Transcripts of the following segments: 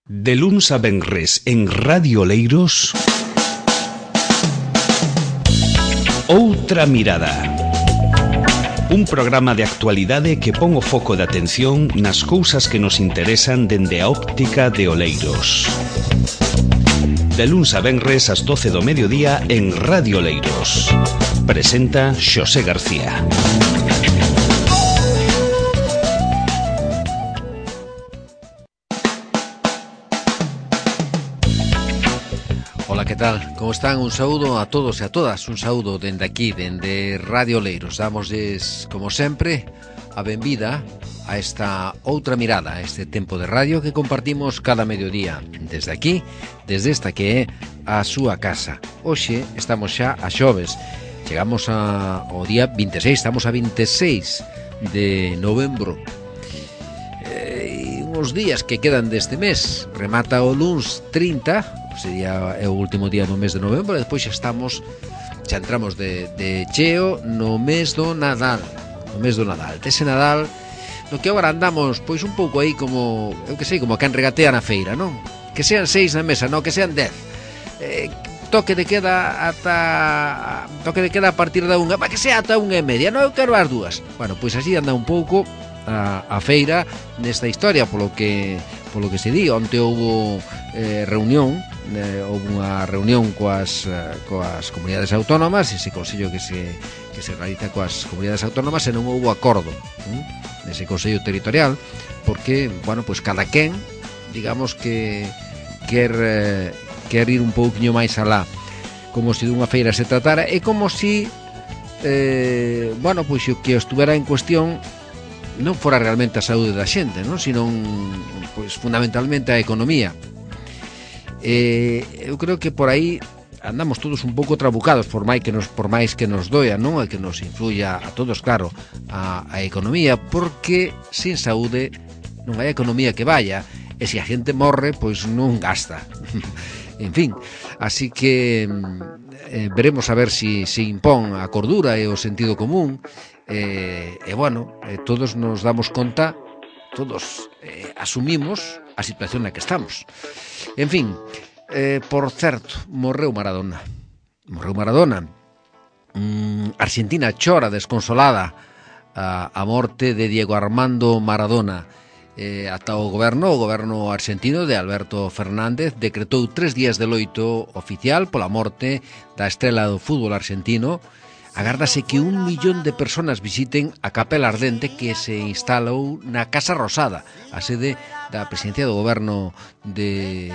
De luns a venres en Radio Oleiros, Outra Mirada. Un programa de actualidade que pon o foco de atención nas cousas que nos interesan dende a óptica de Oleiros. De luns a venres ás 12 do mediodía en Radio Oleiros. Presenta Xosé García. Ola, que tal? Como están? Un saúdo a todos e a todas. Un saúdo dende aquí, dende Radio Oleiros. Damosles, como sempre, a benvida a esta outra mirada, a este tempo de radio que compartimos cada mediodía. Desde aquí, desde esta que é a súa casa. Hoxe estamos xa a xoves. Chegamos ao día 26, estamos a 26 de novembro. Uns días que quedan deste mes. Remata o luns 30, sería o último día do mes de novembro, e despois xa entramos de cheo no mes do Nadal. No mes do Nadal. Ese Nadal no que agora andamos pois un pouco aí como, eu que sei, como a quen regatea na feira, non? Que sean 6 na mesa, non, que sean 10. Toque de queda a partir da 1, para que sea ata 1:30, non, eu quero as 2. Bueno, pois así anda un pouco a feira nesta historia, polo que se di. Onte houve reunión, houve unha reunión coas comunidades autónomas, ese consello que se realiza coas comunidades autónomas, e non houve acordo nese consello territorial, porque, bueno, pois cada quen, digamos que quer ir un pouquiño máis alá, como se dunha feira se tratara, e como se bueno, pois o que estuvera en cuestión non fora realmente a saúde da xente, non? Sino pois fundamentalmente a economía. Eu creo que por aí andamos todos un pouco trabucados, por máis que nos doia, non? E que nos influya a todos, claro, a economía, porque sin saúde non hai economía que vaya, e se a xente morre, pois non gasta. En fin, así que veremos a ver si se impón a cordura e o sentido común. Bueno, todos nos damos conta, todos asumimos a situación na que estamos. En fin, por certo, morreu Maradona. Argentina chora desconsolada a morte de Diego Armando Maradona. Ata o goberno argentino de Alberto Fernández decretou 3 días de loito oficial pola morte da estrela do fútbol argentino. Agárdase que 1 millón de persoas visiten a Capela Ardente, que se instalou na Casa Rosada, a sede da presidencia do goberno de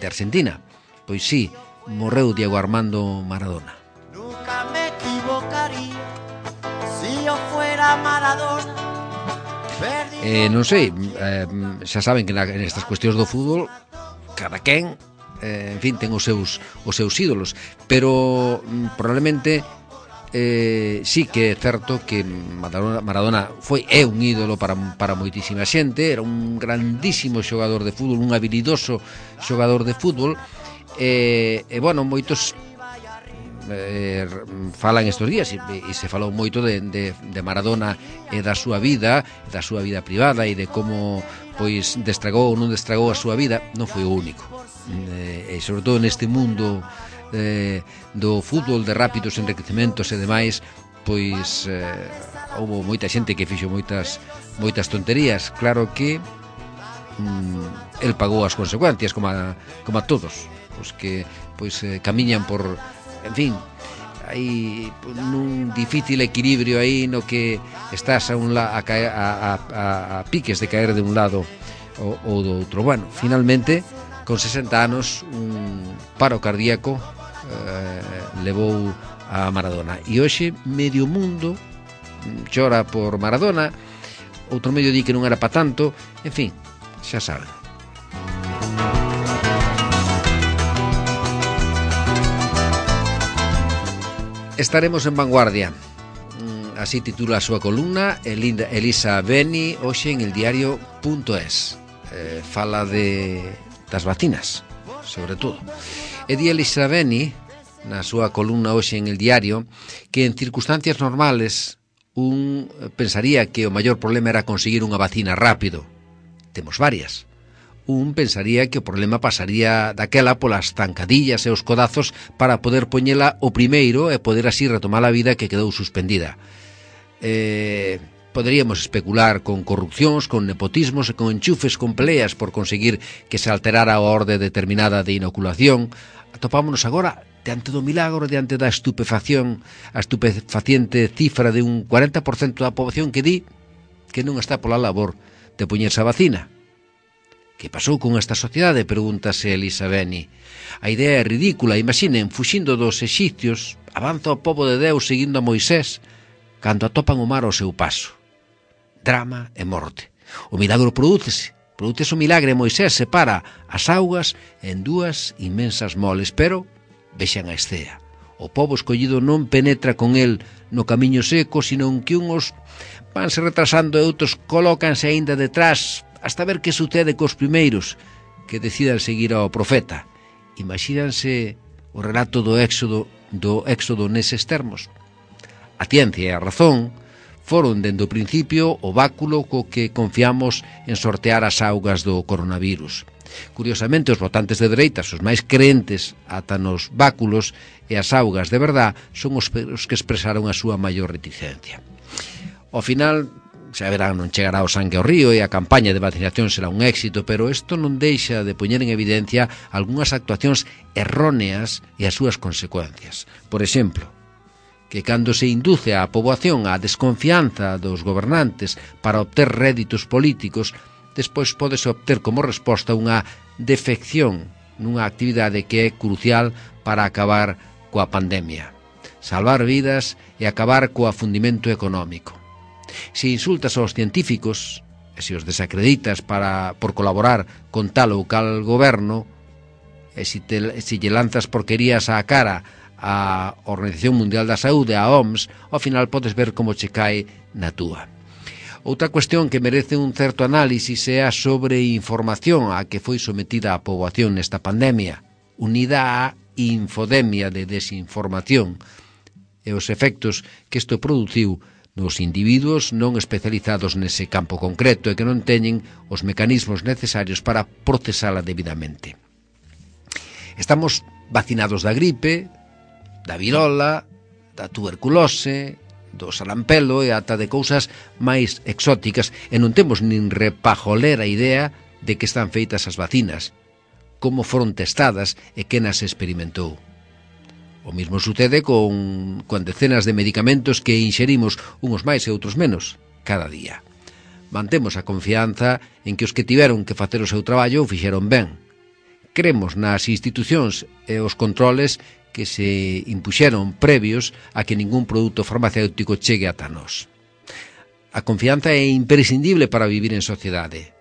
Argentina. Pois sí, morreu Diego Armando Maradona. Nunca me equivocaría si yo fuera Maradona. Non sei, xa saben que nestas cuestións do fútbol cada quen, en fin, ten os seus ídolos, pero probablemente sí que é certo que Maradona é un ídolo para moitísima xente. Era un grandísimo xogador de fútbol, un habilidoso xogador de fútbol, e bueno, moitos falan estes días, e se falou moito de Maradona e da súa vida privada, e de como pois destragou ou non destragou a súa vida. Non foi o único, e sobre todo neste mundo do fútbol, de rápidos enriquecementos e demais, pois houve moita xente que fixo moitas tonterías. Claro que el pagou as consecuencias, como a todos os que pois camiñan por, en fin, hai nun difícil equilibrio aí no que estás a piques de caer de un lado ou do outro. Bueno, finalmente, con 60 anos, un paro cardíaco levou a Maradona, e hoxe medio mundo chora por Maradona, outro medio di que non era pa tanto. En fin, xa saben. Estaremos en vanguardia, así titula a súa columna Elisa Beni hoxe en eldiario.es. Fala das vacinas, sobre todo. E di Elisa Beni na súa columna hoxe en El Diario que en circunstancias normales pensaría que o maior problema era conseguir unha vacina rápido. Temos varias. un pensaría que o problema pasaría daquela polas zancadillas e os codazos para poder poñela o primeiro e poder así retomar a vida que quedou suspendida. Poderíamos especular con corrupcións, con nepotismos e con enchufes, con peleas por conseguir que se alterara a orde determinada de inoculación. Atopámonos agora diante do milagro, diante da estupefacción, a estupefaciente cifra de un 40% da poboación que di que non está pola labor de poñerse a vacina. Que pasou con esta sociedade? Pregúntase Elisa Beni. A idea é ridícula. Imaginen, fuxindo dos exicios, avanza o pobo de Deus seguindo a Moisés, cando atopan o mar ao seu paso. Drama e morte. O milagro prodúcese o milagre. Moisés separa as augas en dúas inmensas moles, pero vexan a escena. O pobo escollido non penetra con el no camiño seco, senón que uns vanse retrasando e outros colócanse aínda detrás hasta ver que sucede cos primeiros que decidan seguir ao profeta. Imagínanse o relato do éxodo neses termos. A ciencia e a razón foron dende o principio o báculo co que confiamos en sortear as augas do coronavirus. Curiosamente, os votantes de dereitas, os máis creentes ata nos báculos e as augas de verdad, son os que expresaron a súa maior reticencia. Ao final, xa verán, non chegará o sangue ao río e a campaña de vacinación será un éxito, pero isto non deixa de poñer en evidencia algunhas actuacións erróneas e as súas consecuencias. Por exemplo, que cando se induce a poboación á desconfianza dos gobernantes para obter réditos políticos, despois pódese obter como resposta unha defección nunha actividade que é crucial para acabar coa pandemia, salvar vidas e acabar co afundimento económico. Se insultas aos científicos e se os desacreditas por colaborar con tal ou cal goberno, e se lle lanzas porquerías á cara a Organización Mundial da Saúde, a OMS, ao final podes ver como che cae na túa. Outra cuestión que merece un certo análisis é a sobreinformación a que foi sometida a poboación nesta pandemia, unida á infodemia de desinformación e os efectos que isto produciu nos individuos non especializados nese campo concreto e que non teñen os mecanismos necesarios para procesala debidamente. Estamos vacinados da gripe, da virola, da tuberculose, do sarampelo e ata de cousas máis exóticas, e non temos nin repajolera idea de que están feitas as vacinas, como foron testadas e quen as experimentou. O mesmo sucede con decenas de medicamentos que inxerimos, uns máis e outros menos, cada día. Mantemos a confianza en que os que tiveron que facer o seu traballo o fixeron ben. Cremos nas institucións e os controles que se impuxeron previos a que ningún produto farmacéutico chegue ata nós. A confianza é imprescindible para vivir en sociedade.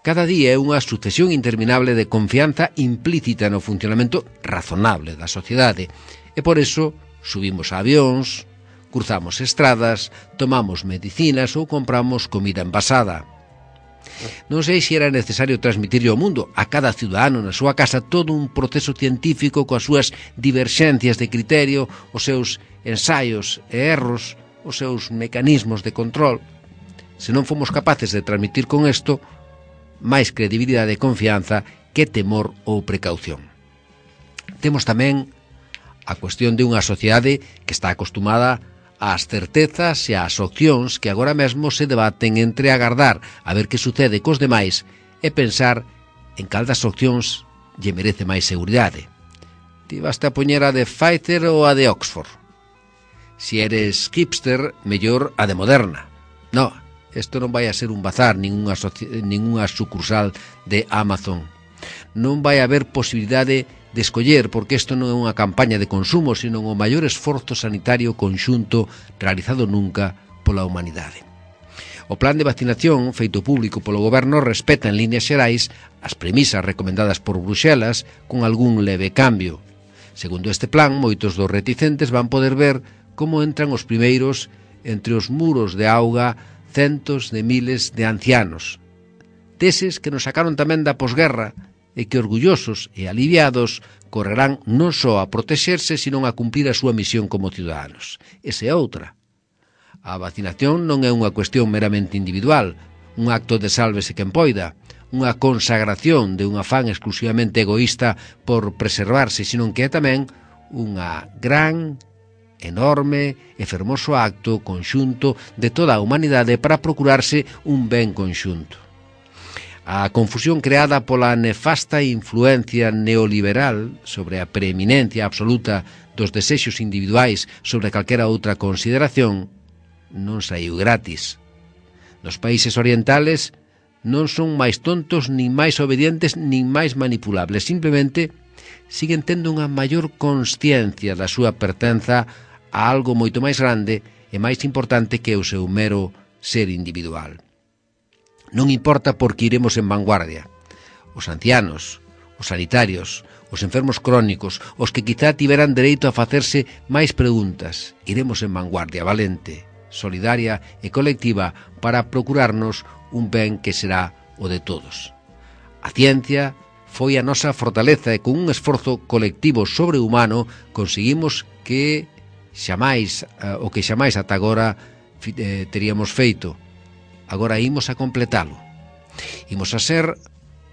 Cada día é unha sucesión interminable de confianza implícita no funcionamento razonable da sociedade e por eso subimos a avións, cruzamos estradas, tomamos medicinas ou compramos comida envasada. Non sei se era necesario transmitirlle ao mundo, a cada ciudadano na súa casa, todo un proceso científico coas súas diverxencias de criterio, os seus ensaios e erros, os seus mecanismos de control. Se non fomos capaces de transmitir con isto, máis credibilidade e confianza que temor ou precaución. Temos tamén a cuestión de unha sociedade que está acostumada ás certezas e ás opcións que agora mesmo se debaten entre agardar a ver que sucede cos demais e pensar en cal das opcións lle merece máis seguridade. Ti vaste a poñer a de Pfizer ou a de Oxford? Si eres hipster, mellor a de Moderna. No, isto non vai a ser un bazar, ningunha sucursal de Amazon. Non vai haber posibilidade de escoller, porque isto non é unha campaña de consumo, sino o maior esforzo sanitario conxunto realizado nunca pola humanidade. O plan de vacinación feito público polo goberno respeta en líneas xerais as premisas recomendadas por Bruxelas con algún leve cambio. Segundo este plan, moitos dos reticentes van poder ver como entran os primeiros entre os muros de auga centos de miles de ancianos, deses que nos sacaron tamén da posguerra e que orgullosos e aliviados correrán non só a protexerse, sino a cumplir a súa misión como ciudadanos. Esa é outra. A vacinación non é unha cuestión meramente individual, un acto de sálvese quen poida. unha consagración de un afán exclusivamente egoísta por preservarse, senón que é tamén unha gran, enorme e fermoso acto conxunto de toda a humanidade para procurarse un ben conxunto. A confusión creada pola nefasta influencia neoliberal sobre a preeminencia absoluta dos desexos individuais sobre calquera outra consideración non saiu gratis. Nos países orientales non son máis tontos, nin máis obedientes, nin máis manipulables. Simplemente siguen tendo unha maior consciencia da súa pertenza a algo moito máis grande e máis importante que o seu mero ser individual. Non importa porque iremos en vanguardia. Os ancianos, os sanitarios, os enfermos crónicos, os que quizá tiveran dereito a facerse máis preguntas, iremos en vanguardia valente, solidaria e colectiva para procurarnos un ben que será o de todos. A ciencia foi a nosa fortaleza e con un esforzo colectivo sobrehumano conseguimos que xamais ata agora teríamos feito. Agora imos a completalo. Imos a ser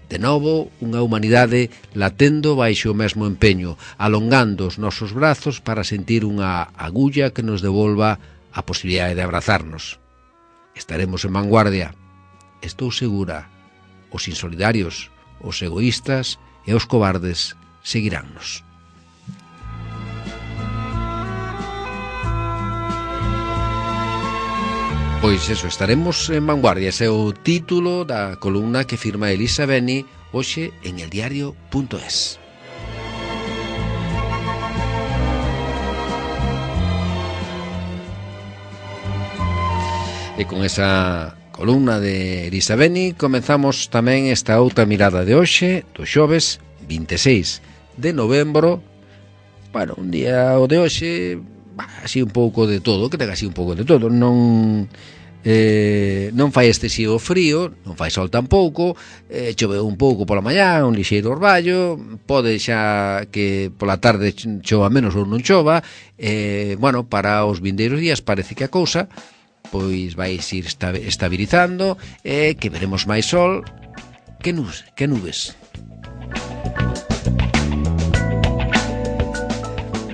de novo unha humanidade latendo baixo o mesmo empeño, alongando os nosos brazos para sentir unha agulla que nos devolva a posibilidade de abrazarnos. Estaremos en vanguardia. Estou segura. Os insolidarios, os egoístas e os cobardes seguiránnos. Pois eso, estaremos en vanguardia. Ese é o título da columna que firma Elisa Beni hoxe en eldiario.es. E con esa columna de Elisa Beni comenzamos tamén esta outra mirada de hoxe, do xoves 26 de novembro. Bueno, un día o de hoxe, así un pouco de todo, que ten así un pouco de todo. Non fai excesivo frío, non fai sol tampouco, choveu un pouco pola mañá, un lixeiro orballo, pode xa que pola tarde chova menos ou non chova. Bueno, para os vindeiros días parece que a cousa pois vai ir estabilizando e que veremos máis sol que nubes.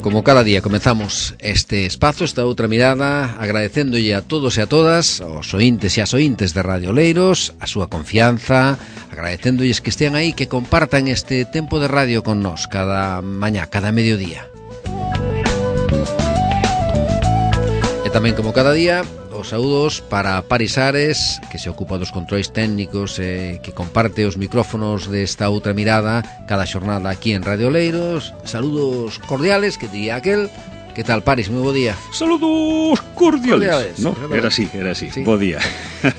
Como cada día comenzamos este espazo, esta outra mirada, agradecéndolle a todos e a todas, aos ointes e as ointes de Radio Oleiros, a súa confianza, agradecéndolles que estean aí, que compartan este tempo de radio con nós cada mañá, cada mediodía. E tamén como cada día, os saúdos para Paris Ares, que se ocupa dos controis técnicos e que comparte os micrófonos desta outra mirada cada xornada aquí en Radio Oleiros. Saludos cordiales, que diría aquel. Que tal, Paris? Moi bo día. Saludos cordiales. No, era así. Sí. Bo día.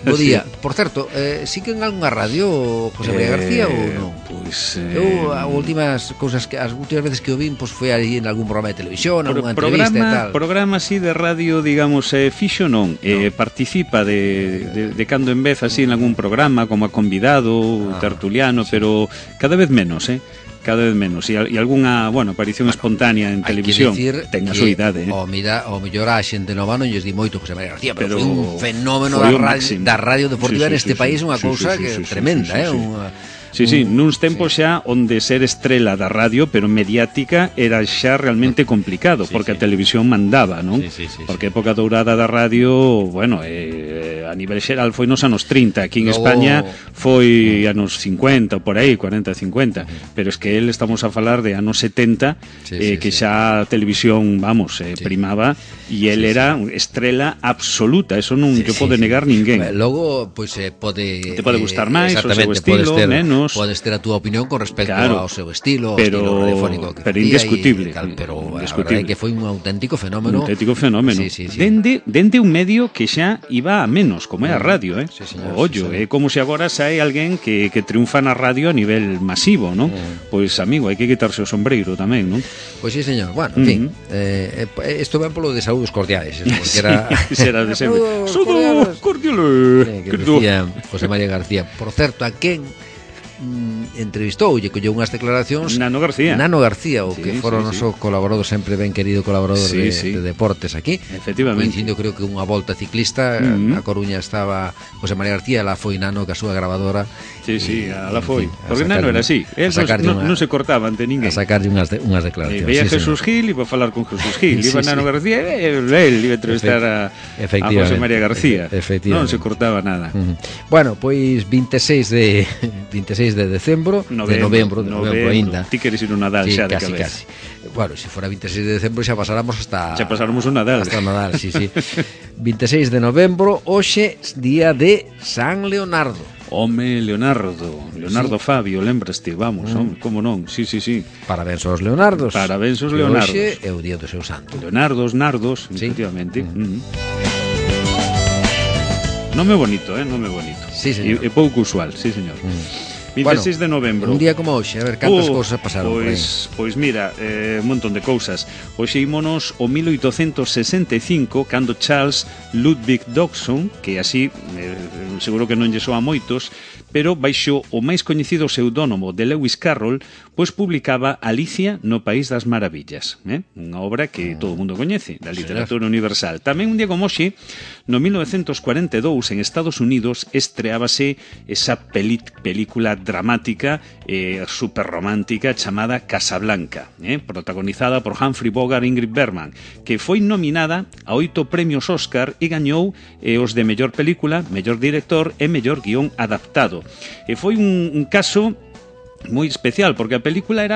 Bo día. Sí. Por certo, sí que en algunha radio José María García ou non? Pois eu as últimas veces que o vin foi aí en algún programa de televisión, algunha entrevista e tal. Programa así de radio, digamos, fixo non, participa de cando en vez así en algún programa como convidado, tertuliano, sí. Pero cada vez menos, cada vez menos, e algunha, aparición espontánea en televisión ten a súa idade. O mellor a xente nova non lles di moito José María García, pero foi un fenómeno da radio deportiva neste país, unha cousa que tremenda, Sí, nuns tempos xa onde ser estrela da radio, pero mediática, era xa realmente complicado, porque a televisión mandaba, non? Porque a época dourada da radio, a nivel xeral foi nos anos 30, aquí en España foi anos 50, por aí, 40-50, pero es que estamos a falar de anos 70, que xa a televisión, primaba, e el era estrela absoluta, eso non lle pode negar ninguén. Logo, pois te pode gustar máis, o seu estilo, menos. Podes ter a túa opinión con respecto ao seu estilo, estilo radiofónico que pero indiscutible, pero a verdade é que foi un auténtico fenómeno. Sí. Dende un medio que xa iba a menos, como é a radio, Sí, señor, ollo, é como se agora sae alguén que triunfa na radio a nivel masivo, non? Pois, amigo, hai que quitarse o sombreiro tamén, non? Pois sí, señor. Bueno, en fin, isto ben polo de saúdos cordiales, porque era será de sempre. Saúdos cordiales. Que decía José María García. Por certo, a quen entrevistou, lle colleu unhas declaracións Nano García, o que fora o noso colaborador, sempre ben querido colaborador de deportes aquí. Efectivamente. Coincidindo, creo que unha volta ciclista, a Coruña estaba José María García, la foi Nano que a súa grabadora. Sí, la foi. Porque Nano era así, non se cortaba ante ninguén. A sacarlle unhas declaracións. Veía Jesús Gil, iba a falar con Jesús Gil, iba Nano García, él iba a entrevistar a José María García. Non se cortaba nada. Bueno, pois 26 de decembro, de novembro ainda. Ti queres ir un Nadal xa de cabeza. Casi. Bueno, se fora 26 de decembro xa pasáramos hasta... Xa pasáramos un Nadal. Hasta Nadal, sí. 26 de novembro, hoxe, día de San Leonardo. Home, Leonardo Fabio, lembraste, vamos, como non, sí. Parabéns aos Leonardos. Parabéns aos Leonardos. Hoxe é o día do seu santo. Leonardos, Nardos, efectivamente. Nome bonito, nome bonito. Sí, señor. E pouco usual, sí, señor. 26 de novembro. Un día como hoxe, a ver cantas cousas pasaron por aí. Pois mira, un montón de cousas. Hoxe ímonos o 1865, cando Charles Ludwig Dodgson, que así seguro que non lle soa a moitos, pero baixo o máis coñecido pseudónimo de Lewis Carroll, pois publicaba Alicia no País das Maravillas, unha obra que todo o mundo coñece, da literatura universal. Tamén un día como hoxe, no 1942, en Estados Unidos, estreábase esa película dramática super romántica chamada Casablanca, protagonizada por Humphrey Bogart e Ingrid Bergman, que foi nominada a 8 premios Óscar e gañou os de mellor película, mellor director e mellor guión adaptado. E foi un caso moi especial, porque a película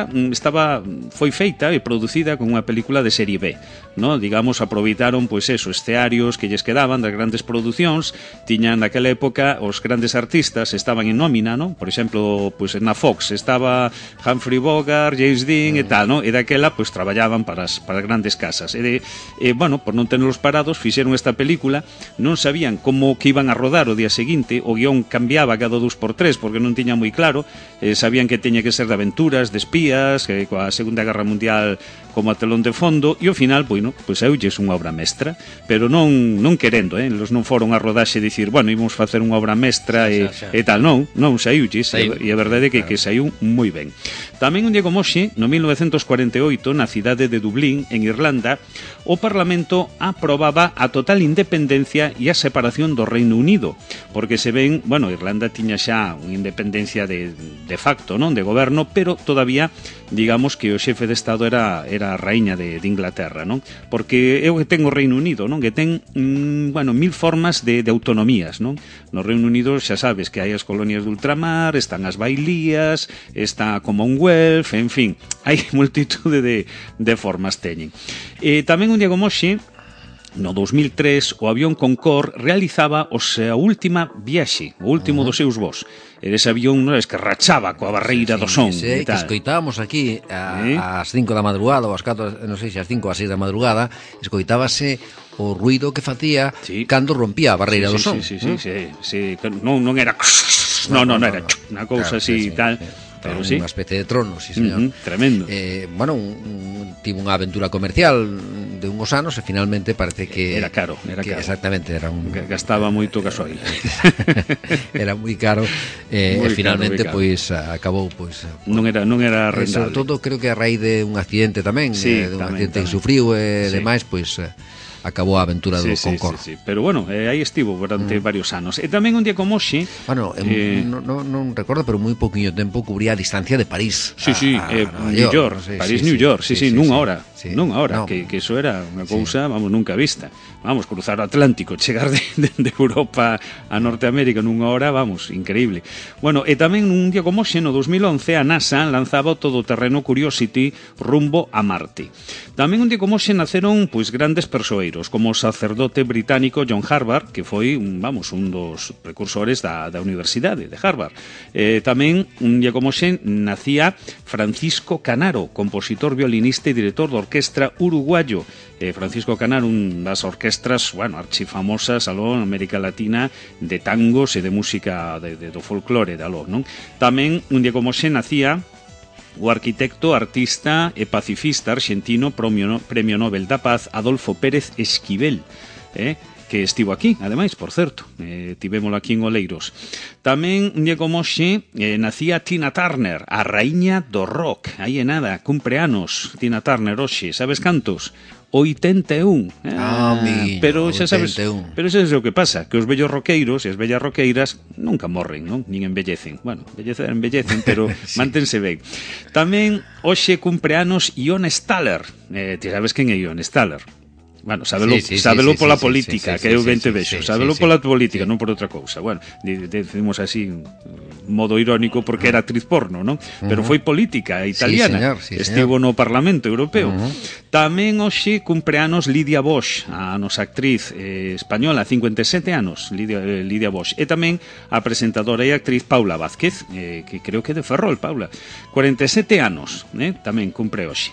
foi feita e producida como unha película de serie B, no? Digamos, aproveitaron pois escearios que lles quedaban das grandes producións, tiñan naquela época os grandes artistas estaban en nómina, no? Por exemplo, pois na Fox estaba Humphrey Bogart, James Dean e tal, no? E daquela pois traballaban para as grandes casas. Bueno, por non tenerlos parados, fixeron esta película, non sabían como que iban a rodar o día seguinte, o guión cambiaba cada 2x3 porque non tiña moi claro, sabían que teña que ser de aventuras, de espías, coa Segunda Guerra Mundial como a telón de fondo, e ao final, bueno, pois saíulles unha obra mestra, pero non querendo, eles non foron a rodaxe dicir, bueno, ímos facer unha obra mestra e tal, non saíulles, e a verdade é que saiu moi ben. Tamén un día como hoxe, no 1948, na cidade de Dublín, en Irlanda, o Parlamento aprobaba a total independencia e a separación do Reino Unido, porque se ven, bueno, Irlanda tiña xa unha independencia de facto, non, de goberno, pero todavía, digamos que o xefe de Estado era a raíña de Inglaterra, non? Porque é o que ten o Reino Unido, non? Que ten, bueno, 1000 formas de autonomías, non? No Reino Unido xa sabes que hai as colonias de ultramar, están as bailías, está a Commonwealth, en fin, hai multitude de formas teñen. Tamén un día como hoxe, no 2003, o avión Concorde realizaba a súa última viaxe, o último dos seus voos. Ese avión que rachaba coa barreira do son. Que escoitábamos aquí ás 5 da madrugada, ou ás 4, non sei se ás 5 ou ás 6 da madrugada, escoitábase o ruido que facía cando rompía a barreira do son. Sí. Non era... Non era unha cousa así e tal... Pero sí. Unha especie de trono, sí, señor. Tremendo. Bueno, tivo unha aventura comercial de unhos anos e finalmente parece que... Era caro. Exactamente, era un... Gastaba moito gasoil. Era moi caro e finalmente, pois, acabou, pois... Non era rentable. Sobre todo, creo que a raíz de un accidente tamén, de un accidente que sufriu e demais, pois... acabou a aventura do Concorde. Sí. Pero bueno, aí estivo durante varios anos. E tamén un día como hoxe... Bueno, non recordo, pero moi pouquinho tempo cubría a distancia de París. New York. París-New York, nunha hora. Que iso era unha cousa, vamos, nunca vista. Vamos, cruzar o Atlántico, chegar de Europa a Norteamérica nunha hora, vamos, increíble. Bueno, e tamén un día como hoxe, no 2011, a NASA lanzaba o todoterreno Curiosity rumbo a Marte. Tamén un día como hoxe naceron, pois, grandes persoeiros, como o sacerdote británico John Harvard, que foi, un dos precursores da Universidade de Harvard. Tamén, un día como hoxe, nacía Francisco Canaro, compositor, violinista e director de orquestra uruguayo. Francisco Canaro, un das orquestras, bueno, archifamosas aló en América Latina de tangos e de música do folclore de aló, non? Tamén, un día como hoxe, nacía o arquitecto, artista e pacifista argentino, premio Nobel da Paz, Adolfo Pérez Esquivel, que estivo aquí, ademais, por certo, tivémolo aquí en Oleiros. Tamén, un día como hoxe, nacía Tina Turner, a raíña do rock. Aí é nada, cumpre anos Tina Turner hoxe, sabes cantos? 81. Pero xa sabes, pero xa sabes o que pasa, que os vellos roqueiros e as vellas roqueiras nunca morren, non? Nin envellecen. Bueno, envellecen, pero sí, mantense ben. Tamén hoxe cumpre anos Ione Staller. Ti sabes quen é Ione Staller? Bueno, sábelo pola política, que eu ben te vexo, sábelo pola política, non por outra cousa. Bueno, decimos así, modo irónico, porque era actriz porno, non? Pero foi política italiana, estivo no Parlamento Europeo. Tamén hoxe cumpre anos Lidia Bosch, a nosa actriz española, 57 anos, Lidia Bosch. E tamén a presentadora e actriz Paula Vázquez, que creo que é de Ferrol, Paula. 47 anos, tamén cumpre hoxe.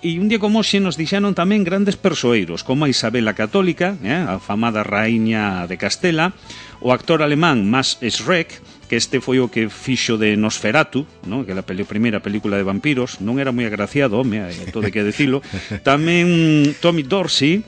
E un día como hoxe nos dixeron tamén grandes persoeiros, como a Isabel a Católica, a famada raíña de Castela, o actor alemán Max Schreck, que este foi o que fixo de Nosferatu, ¿no? Que é a primeira película de vampiros, non era moi agraciado, home, todo hai que decilo. Tamén Tommy Dorsey,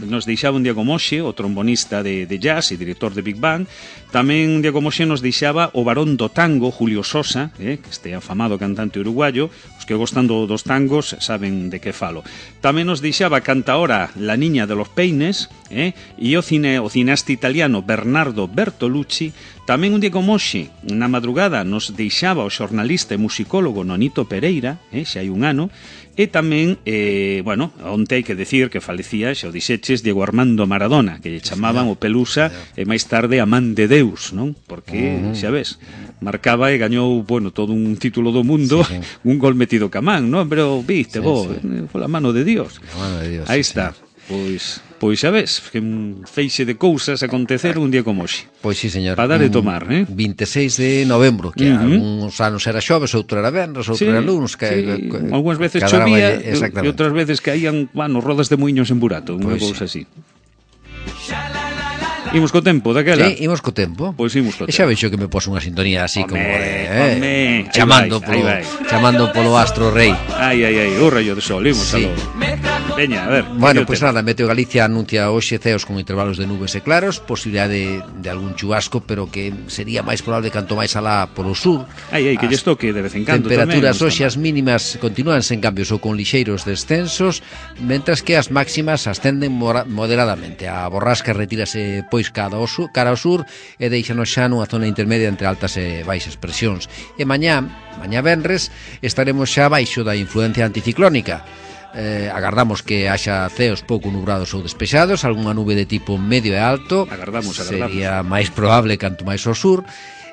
nos deixaba un día como hoxe, o trombonista de jazz e director de Big Bang. Tamén un día como hoxe nos deixaba o varón do tango, Julio Sosa, que este afamado cantante uruguayo. Os que gostan dos tangos saben de que falo. Tamén nos deixaba a cantaora La Niña de los Peines, e o cineasta italiano Bernardo Bertolucci. Tamén un día como hoxe, na madrugada, nos deixaba o xornalista e musicólogo Nonito Pereira, xa hai un ano. E tamén, bueno, onte hai que decir que falecía, xa o dixeches, Diego Armando Maradona, que lle chamaban o Pelusa e máis tarde a Man de Deus, non? Porque, xa ves, marcaba e gañou, bueno, todo un título do mundo, un gol metido camán, non? Pero, viste, foi a mano de Dios. Aí está. Pois xa ves, que un feixe de cousas acontecer un día como hoxe. Pois sí, señor. Para dar e tomar, 26 de novembro, que algúns anos era xoves, outro era venres, outro era lunes, que algunhas veces chovía e outras veces caían, bueno, rodas de muiños en burato, unha cousa así. Imos co tempo daquela. Sí, imos co tempo. Pois imos co tempo. E xa veixo que me pos unha sintonía así como de chamando polo astro rei. Ai, o rayo de sol, imos aló. Veña, a ver. Bueno, pois nada, Meteo Galicia anuncia hoxe ceos con intervalos de nubes e claros, posibilidade de algún chubasco, pero que sería máis probable canto máis alá polo sur. Que lles toque de vez en cando tamén. Temperaturas hoxe as mínimas continúan sen cambios ou con lixeiros descensos, mentras que as máximas ascenden moderadamente. A borrasca retírase pois cara ao sur e deixanos xa nunha zona intermedia entre altas e baixas presións. E mañá venres, estaremos xa baixo da influencia anticiclónica. Agardamos que haxa ceos pouco nubrados ou despexados, algunha nube de tipo medio e alto. Agardamos. Sería máis probable canto máis ao sur.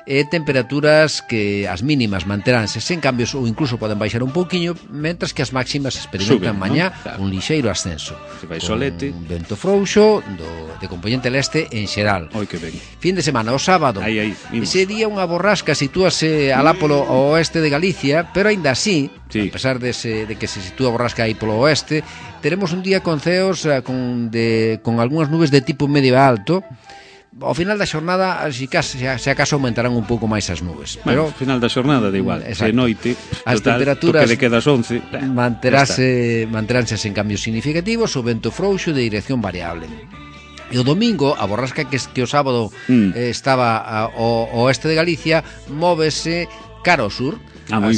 E temperaturas que as mínimas manteránse sen cambios ou incluso poden baixar un pouquiño, mentras que as máximas experimentan mañá un lixeiro ascenso. Se vai solete. Un vento frouxo de componente leste en xeral. Oi, que ben. Fin de semana, o sábado. Ese día unha borrasca sitúase alá polo oeste de Galicia, pero aínda así, a pesar de que se sitúa a borrasca aí polo oeste, teremos un día con ceos con algunhas nubes de tipo medio alto. Ao final da xornada, se acaso aumentarán un pouco máis as nubes. Pero ao final da xornada, da igual, de noite, as temperaturas toque de quedas 11, manteránse sen cambios significativos, o vento frouxo de dirección variable. E o domingo, a borrasca que o sábado estaba ao oeste de Galicia, móvese cara ao sur. Moi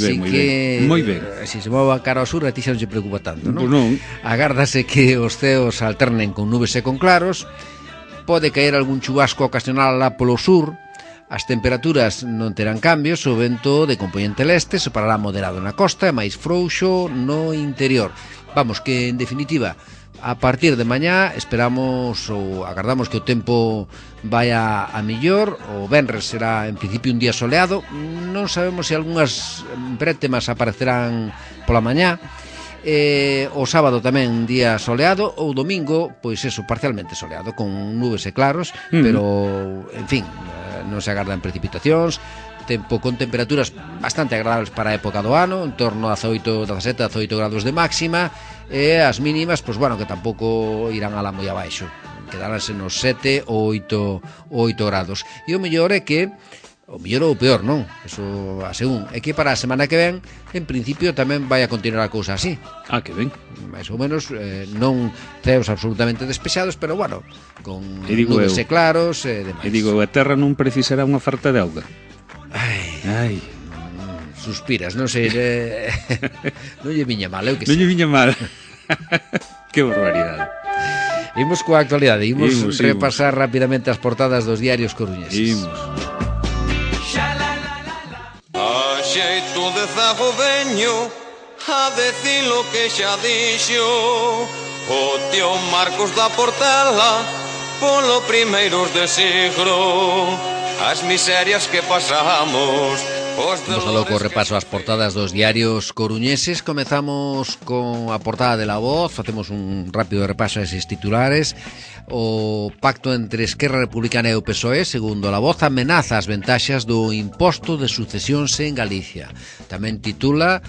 ben. Se se mova cara ao sur, a ti xa non se preocupa tanto, non? Pues non. Agárdase que os ceos alternen con nubes e con claros. Pode caer algún chubasco ocasional lá polo sur. As temperaturas non terán cambios. O vento de componente leste separará moderado na costa e máis frouxo no interior. Vamos, que en definitiva, a partir de mañá esperamos ou agardamos que o tempo vaya a millor. O venres será en principio un día soleado. Non sabemos se algunhas brétemas aparecerán pola mañá. O sábado tamén un día soleado. O domingo, pois eso, parcialmente soleado, con nubes e claros, pero, en fin, non se agardan precipitacións. Tempo con temperaturas bastante agradables para a época do ano, en torno a 17, 18 grados de máxima, e as mínimas, pois bueno, que tampouco irán alá moi abaixo, quedaránse nos 7 ou 8 grados. E o mellor é que o mellor ou peor, non? Eso a según. É que para a semana que ven, en principio tamén vai a continuar a cousa así. Que ben. Mais ou menos, non ceos absolutamente despexados, pero bueno, con eu, nubes claros e demais. E digo, a terra non precisará unha farta de auga. Ai. Suspiras, non sei, non lle viña mal, eu que non lle viña mal. Que barbaridade. Imos coa actualidade, imos repasar rapidamente as portadas dos diarios coruñeses. A xeito de zago veño a decir lo que xa dixo o tío Marcos da Portela polo primeiros de siglo, as miserias que pasamos. Vamos a loco repaso as portadas dos diarios coruñeses. Comezamos con a portada de La Voz. Facemos un rápido repaso a eses titulares. O pacto entre Esquerra Republicana e o PSOE, segundo La Voz, amenaza as ventaxas do imposto de sucesións en Galicia. Tamén titula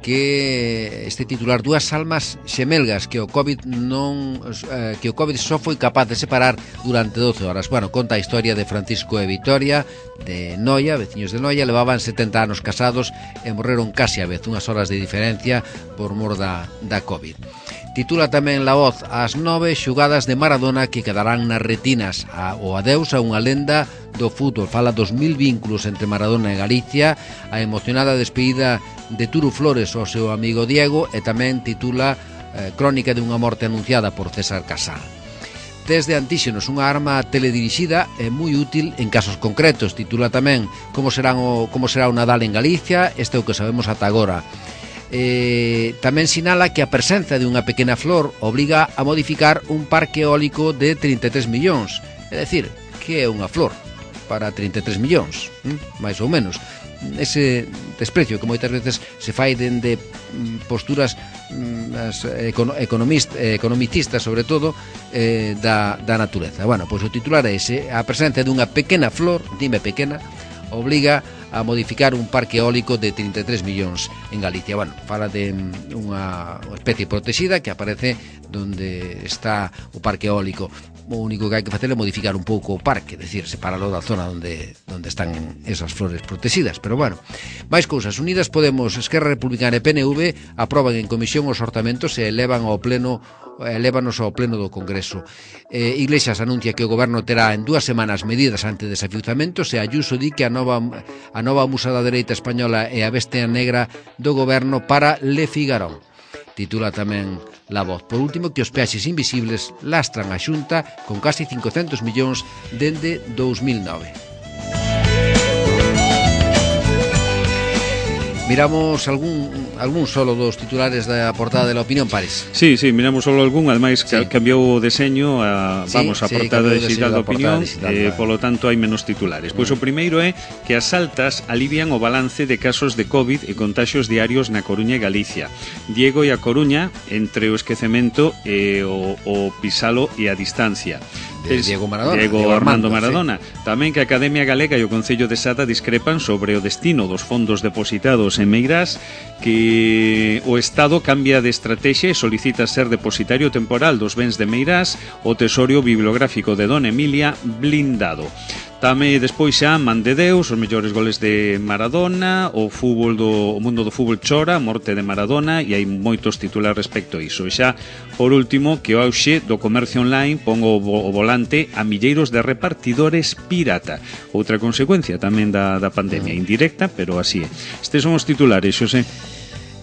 que este titular dúas almas xemelgas que o COVID só foi capaz de separar durante 12 horas. Bueno, conta a historia de Francisco e Vitoria de Noia, veciños de Noia, levaban 70 anos casados e morreron casi a vez, unhas horas de diferencia por mor da COVID. Titula tamén La Voz as 9 xugadas de Maradona que quedarán nas retinas, o adeus a unha lenda do fútbol. Fala dos 1000 vínculos entre Maradona e Galicia, a emocionada despedida de Turu Flores ao seu amigo Diego, e tamén titula Crónica de unha morte anunciada por César Casal. Test de antíxenos, unha arma teledirixida e moi útil en casos concretos. Titula tamén como será o Nadal en Galicia, este é o que sabemos ata agora. Tamén sinala que a presenza de unha pequena flor obriga a modificar un parque eólico de 33 millóns. É dicir, que é unha flor para 33 millóns, máis ou menos. Ese desprecio que moitas veces se fai dende posturas economicistas, sobre todo, da natureza. Bueno, pois o titular é ese: a presenza dunha pequena flor, dime pequena, obliga a modificar un parque eólico de 33 millóns en Galicia. Bueno, fala de unha especie protexida que aparece donde está o parque eólico. O único que hai que facer é modificar un pouco o parque, é dicir, separalo da zona onde están esas flores protegidas. Pero bueno, máis cousas. Unidas Podemos, Esquerra Republicana e PNV aproban en comisión os orzamentos e elévanos ao pleno do Congreso. Iglesias anuncia que o goberno terá en 2 semanas medidas ante desafiuzamentos, e Ayuso di que a nova musa da dereita española é a bestia negra do goberno para Le Figaro. Titula tamén La Voz. Por último, que os peaxes invisibles lastran a Xunta con casi 500 millóns dende 2009. Miramos algún solo dos titulares da portada de La Opinión, Pares. Sí, miramos solo algún, ademais sí. Cambiou o deseño a portada digital da Opinión, polo tanto hai menos titulares. Pois o primeiro é que as altas alivian o balance de casos de COVID e contaxios diarios na Coruña e Galicia. Diego e a Coruña entre o esquecemento e o pisalo e a distancia. Diego Maradona. Diego Armando Maradona. Sí. Tamén que a Academia Galega e o Concello de Sada discrepan sobre o destino dos fondos depositados en Meirás, que o Estado cambia de estrategia e solicita ser depositario temporal dos bens de Meirás, o tesorio bibliográfico de Dona Emilia blindado. Tamén despois xa Man de Deus, os mellores goles de Maradona, o mundo do fútbol chora, a morte de Maradona, e hai moitos titulares respecto a iso. E xa, por último, que o auxe do comercio online pon o volante a milleiros de repartidores pirata. Outra consecuencia tamén da pandemia, indirecta, pero así é. Estes son os titulares, Xosé.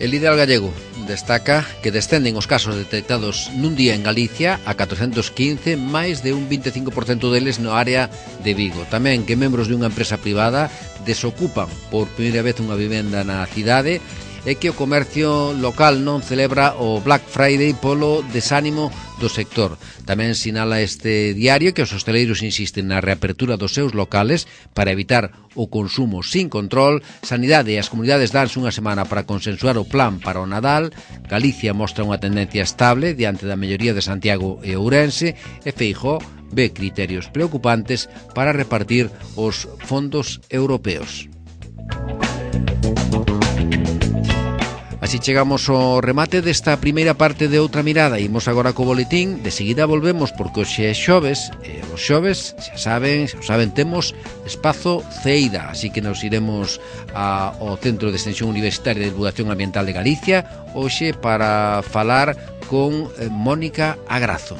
El Ideal Gallego destaca que descenden os casos detectados nun día en Galicia a 415, máis de un 25% deles no área de Vigo. Tamén que membros de unha empresa privada desocupan por primeira vez unha vivenda na cidade, e que o comercio local non celebra o Black Friday polo desánimo do sector. Tamén sinala este diario que os hosteleiros insisten na reapertura dos seus locales para evitar o consumo sin control. Sanidade e as comunidades danse unha semana para consensuar o plan para o Nadal. Galicia mostra unha tendencia estable diante da melloría de Santiago e Ourense, e Feijóo ve criterios preocupantes para repartir os fondos europeos. Así chegamos ao remate desta primeira parte de Outra Mirada. Imos agora co boletín, de seguida volvemos porque hoxe é xoves, e os xoves, xa saben, temos espazo Ceida, así que nos iremos ao Centro de Extensión Universitaria de Divulgación Ambiental de Galicia hoxe para falar con Mónica Agrazo.